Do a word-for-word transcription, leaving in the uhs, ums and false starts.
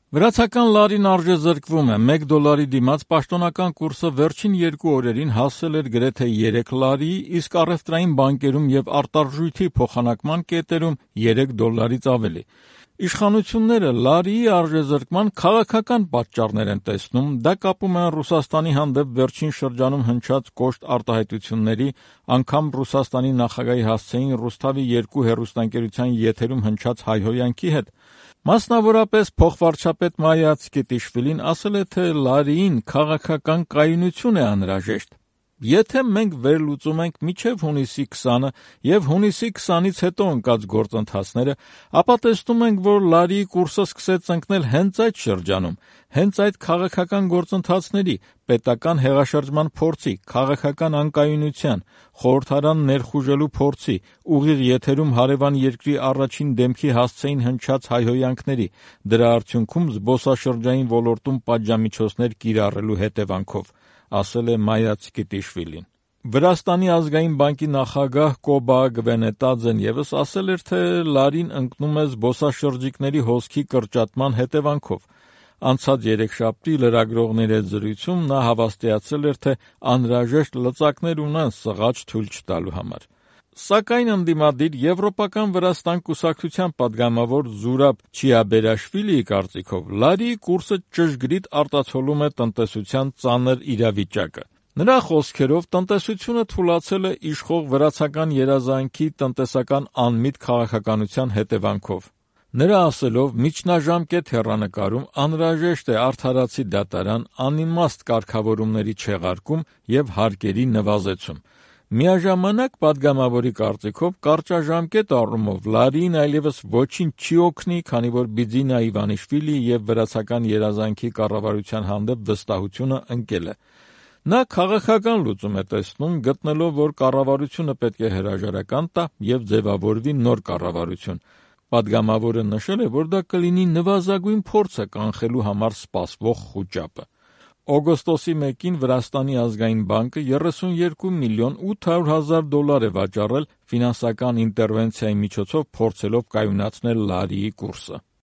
Վրացական լարին արժեզրկվում է, մեկ դոլարի դիմաց պաշտոնական կուրսը վերջին երկու օրերին հասել էր գրեթե երեք լարի, իսկ առևտրային բանկերում և արտարժույթի փոխանակման կետերում երեք դոլարից ավելի։ Իշխանությունները լարիի արժեզրկման քաղաքական պատճառներ են տեսնում, դա կապում են Ռուսաստանի հանդեպ վերջին շրջանում հնչած կոշտ արտահայտությունների, անգամ Ռուսաստանի նախագահի հասցեին Ռուսթավի երկու հեռուստաընկերության եթերում հնչած հայհոյանքի հետ։ Մասնավորապես փոխվարչապետ Մայա Ցկետիշվիլին ասել է, թե լարիին քաղաքական կայունություն է անհրաժեշտ։ Եթե մենք վերլուծում ենք մինչև հունիսի քսանը և հունիսի քսանից հետո ընկած գործընթացները, ապա տեսնում ենք, որ լարիի կուրսը սկսեց ընկնել հենց այդ շրջանում, հենց այդ քաղաքական գործընթացների, պետական հեղաշրջման փորձի, քաղաքական անկայունության, խորհրդարան ներխուժելու փորձի, ուղիղ եթերում հարևան երկրի առաջին դեմքի հասցեին հնչած հայհոյանքների, դրա արդյունքում զբոսաշրջային ոլորտում պատժամիջոցներ կիրառելու հետևանքով, ասել է Մայա Ցկետիշվիլին։ Վրաստանի ազգային բանկի նախագահ Կոբա Գվենետաձեն ևս ասել էր, թե լարին ընկնում է զբոսաշրջիկների հոսքի կրճատման հետևանքով։ Անցած երեքշաբթի լրագրողների հետ զրույցում նա հավաստիացրել էր, թե անհրաժեշտ լծակներ ունեն սղաճ թույլ չտալու համար։ Սակայն ընդդիմադիր Եվրոպական Վրաստան կուսակցության պատգամավոր Զուրաբ Չիաբերաշվիլիի կարծիքով լարիի կուրսը ճշգրիտ արտացոլում է տնտեսության ծանր իրավիճակը։ Նրա խոսքերով տնտեսությունը թուլացել է իշխող վրացական երազանքի տնտեսական անմիտ քաղաքականության հետևանքով։ Նրա ասելով, միջնաժամկետ հեռանկարում անհրաժեշտ է արդարացի դատարան, անիմաստ կարգավորումների չեղարկում և հարկերի նվազեցում։ Միաժամանակ պատգամավորի կարծիքով կարճաժամկետ առումով լարիին այլևս ոչինչ չի օգնի, քանի որ Բիձինա Իվանիշվիլիի և վրացական երազանքի կառավարության հանդեպ վստահությունը ընկել է։ Նա քաղաքական լուծում է տեսնում, գտնելով, որ կառավարությունը պետք է հրաժարական տա և ձևավորվի նոր կառավարություն։ Պատգամավորը նշել է, որ դա կլինի նվազագույն փորձը կանխելու համար սպասվող խուճապը։ Օգոստոսի մեկին Վրաստանի ազգային բանկը երեսունյոթ միլիոն ութ հարյուր հազար դոլար է վաճառել ֆինանսական ինտերվենցիայի միջոցով փորձելով կայունացնել լարիի կուրսը։